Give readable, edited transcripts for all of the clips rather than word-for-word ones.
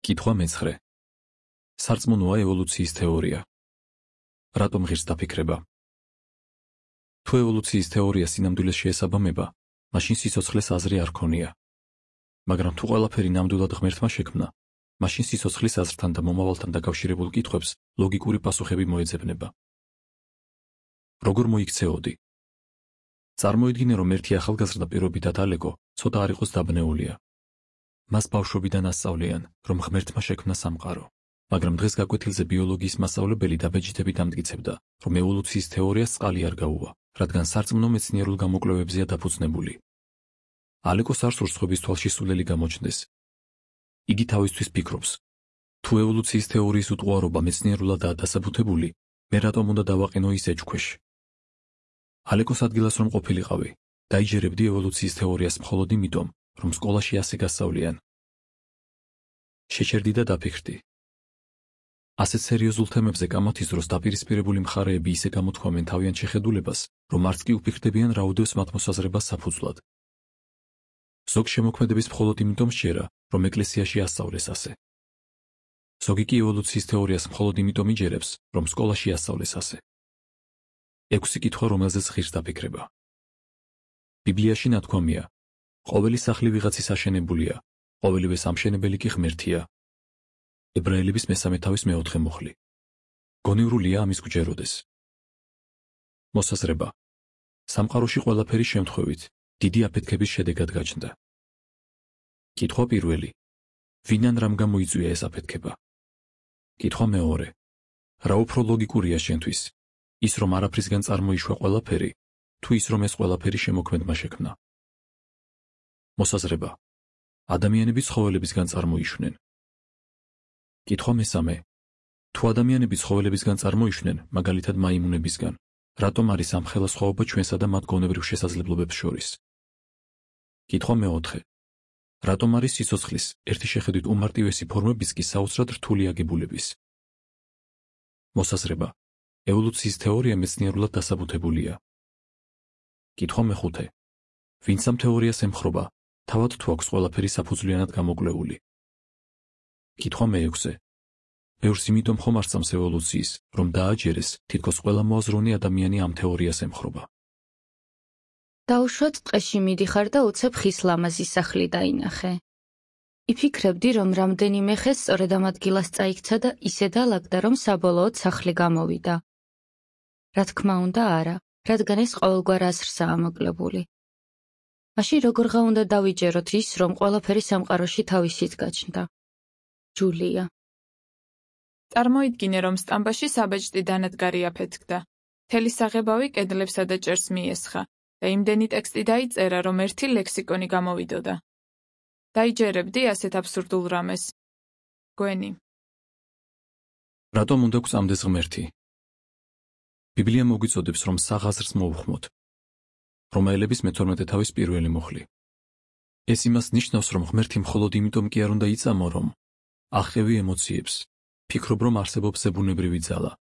კითხვა მე-9. სარწმუნოა ევოლუციის თეორია. რატომ ღირს დაფიქრება? თუ ევოლუციის თეორია სინამდვილეს შეესაბამება, მაშინ სიცოცხლეს აზრი არ ქონია. მაგრამ თუ ყველაფერი ნამდვილად ღმერთმა შექმნა, მაშინ სიცოცხლის აზრთან და მომავალთან დაკავშირებულ კითხვებს ლოგიკური პასუხები მოეძებნება. როგორ მოიქცეოდი? წარმოიდგინე, რომ ერთი ახალგაზრდა პირობითად ალეგო ცოტა არ იყოს დაბნეულია. მას ბავშვობიდან ასწავლიან, რომ ღმერთმა შექმნა სამყარო, მაგრამ დღეს გაკვეთილზე ბიოლოგიის მასწავლებელი დაბეჭდებით ამტკიცებდა, რომ ევოლუციის თეორიას წყალი არ გაუვა, რადგან სარწმუნო მეცნიერულ გამოკვლევებზეა დაფუძნებული. ალეგოს არ სურს სხვების თვალში სულელი გამოჩნდეს. იგი თავისთვის ფიქრობს, თუ ევოლუციის თეორიის უტყუარობა მეცნიერულადაა დასაბუთებული, მე რატომ უნდა დავაყენო ის ეჭქვეშ? ალეგოს ადგილას რომ ყოფილიყავი, დაიჯერებდი ევოლუციის თეორიას მხოლოდ იმიტომ, რომ სკოლაში ასე გასწავლიან. შეჩერდი და დაფიქრდი. ასეთ სერიოზულ თემებზე კამათის დროს დაპირისპირებული მხარეები ისე გამოთქვამენ თავიანთ შეხედულებას, რომ არც კი უფიქრდებიან რა უდევს მათ მოსაზრებას საფუძვლად. ზოგ შემოქმედების მხოლოდ იმიტომ სჯერა, რომ ეკლესიაში ასწავლეს ასე. ზოგი კი ევოლუციის თეორიას მხოლოდ იმიტომ იჯერებს, რომ სკოლაში ასწავლეს ასე. 6 კითხვა, რომელზეც ღირს დაფიქრება. ბიბლიაში ნათქვამია, ყოველი სახლი ვიღაცის აშენებულია, ყოველივე სამშენებელი კი ღმერთია. ებრაელების 3:4 მუხლი. გონივრულია ამის გვჯეროდეს. მოსაზრება. სამყაროში ყველაფერი შემთხვევით, დიდი აფეთქების შედეგად გაჩნდა. კითხვა პირველი. ვინან რამ გამოიწვია ეს აფეთქება? კითხვა მეორე. რა უფრო ლოგიკურია შენთვის? ის რომ არაფრისგან წარმოიშვა ყველაფერი, თუ ის რომ ეს ყველაფერი შემოქმედმა შექმნა? მოსაზრება. ადამიანები ცხოველებისგან წარმოიშვნენ. კითხვა მესამე. თუ ადამიანები ცხოველებისგან წარმოიშვნენ, მაგალითად მაიმუნებისგან, რატომ არის ამ ხელასხვაობა ჩვენსა და მათ გონებრივ შესაძლებლობებს შორის? კითხვა მეოთხე. რატომ არის სიცოცხლის ერთი შეხედვით უმარტივესი ფორმების კი საოცრად რთული აგებულების? მოსაზრება. ევოლუციის თეორია მეცნიერულად დასაბუთებულია. კითხვა მეხუთე. ვინც ამ თეორიას ემხრობა, თავად თუ აქვს ყველაფერი საფუძვლიანად გამოკვლეული? კითხვა მეექვსე. ბევრს იმიტომ ხომ არ სწამს ევოლუციის, რომ დააჯერეს, თითქოს ყველა მოაზროვნე ადამიანი ამ თეორიას ემხრობა. დაუშვათ ტყეში მიდიხარ და უცებ ხის ლამაზი სახლი დაინახე. იფიქრებდი, რომ რამდენიმე ხე სწორედ ამ ადგილას წაიქცა და ისე დაალაგდა, რომ საბოლოოდ სახლი გამოვიდა. რა თქმა უნდა არა, რადგან ეს ყოველგვარ აზრსაა ამოკლებული. მაშინ როგორღა უნდა დავიჯეროთ ის, რომ ყველაფერი სამყაროში თავისით გაჩნდა? ჯულია. წარმოიდგინე, რომ სტამბაში საბეჭდი დანადგარი აფეთქდა. მთელი საღებავი კედლებსა და ჭერს მიესხა და იმდენი ტექსტი დაიწერა, რომ ერთი ლექსიკონი გამოვიდოდა. დაიჯერებდი ასეთ აბსურდულ რამეს? გვენი. რატომ უნდა გვწამდეს ღმერთი? ბიბლია მოგვიწოდებს, რომ საღაზრს მოუხმოთ. რომაელების მე-12 თავის პირველი მუხლი. ეს იმას ნიშნავს, რომ ღმერთი მხოლოდ იმიტომ კი არ უნდა იწამო, რომ აღხევი ემოციებს, ფიქრობ, რომ არსებობს ზებუნებრივი ძალა.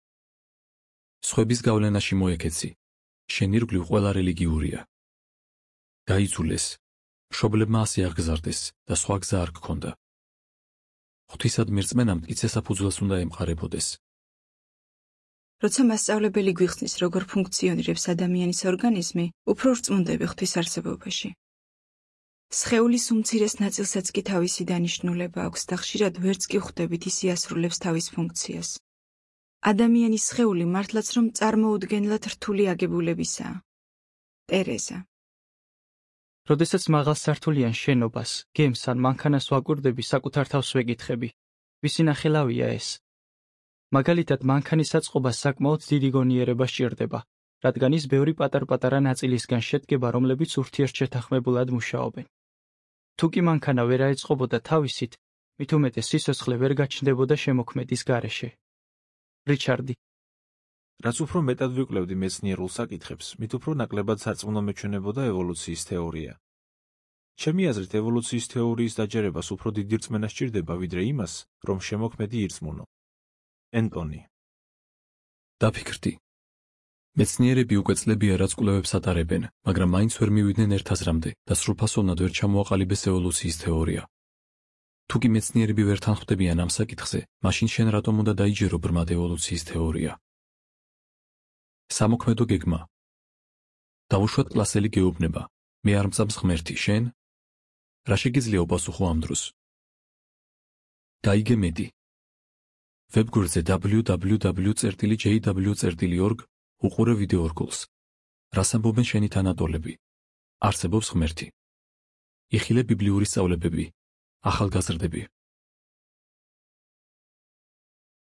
სხვების გავლენაში მოექეცი, შენ ირგვლივ ყველა რელიგიურია. გაიძულეს, მშობლებმა ასე აღგზარდეს და სხვა გზა არ გქონდა. ღვთისადმი რწმენამ მტკიცე საფუძველს უნდა ემყარებოდეს. როცა მასწავლებელი გვიხსნის, როგორ ფუნქციონირებს ადამიანის ორგანიზმი, უფრო რწმუნდები ღვთის არსებობაში. სხეულის უმცირეს ნაწილსაც კი თავისი დანიშნულება აქვს და ხშირად ვერც კი ხვდებით ის იასრულებს თავის ფუნქციას. ადამიანის სხეული მართლაც რომ წარმოუდგენლად რთული აგებულებისაა. ტერეზა. როდესაც მაღალსართულიან შენობას, გემს ან მანქანას ვაკვირდები, საკუთარ თავს ვეკითხები, ვისი ნახელავია ეს? მაგალითად, მანქანის აწყობას საკმაოდ დიდი გონიერება სჭირდება, რადგან ის ბევრი პატარ-პატარა ნაწილისგან შედგება, რომლებიც ურთიერთშეთანხმებულად მუშაობენ. თუ კი მანქანა ვერ აეწყობოდა თავისით, მით უმეტეს სიცოცხლე ვერ გაჩნდებოდა შემოქმედის გარეშე. რიჩარდი. რაც უფრო მეტად ვიკვლევდი მეცნიერულ საკითხებს, მით უფრო ნაკლებად სარწმუნო მეჩვენებოდა ევოლუციის თეორია. ჩემი აზრით, ევოლუციის თეორიის დაჯერებას უფრო დიდი რწმენა სჭირდება, ვიდრე იმას, რომ შემოქმედი ირწმუნო. ენტონი. დაფიქრდი. მეცნიერები უკვე წლებია რაც კვლევებს ატარებენ, მაგრამ მაინც ვერ მივიდნენ ერთ აზრამდე და სრულფასოვნად ვერ ჩამოაყალიბეს ევოლუციის თეორია. თუ კი მეცნიერები ვერ თანხმდებიან ამ საკითხზე, მაშინ შენ რატომ უნდა დაიჯერო ბრმად ევოლუციის თეორია? სამოქმედო გეგმა. დავუშვათ კლასელი გეუბნება, მე არ მწამს ღმერთი, შენ? რა შეგიძლია უპასუხო ამ დროს? დაიგე მეტი. ვებგვერდზე www.jw.org უყურე ვიდეო რგოლს. რას ამბობენ შენი თანატოლები? არსებობს ღმერთი. იხილე ბიბლიური სწავლებები. ახალგაზრდები.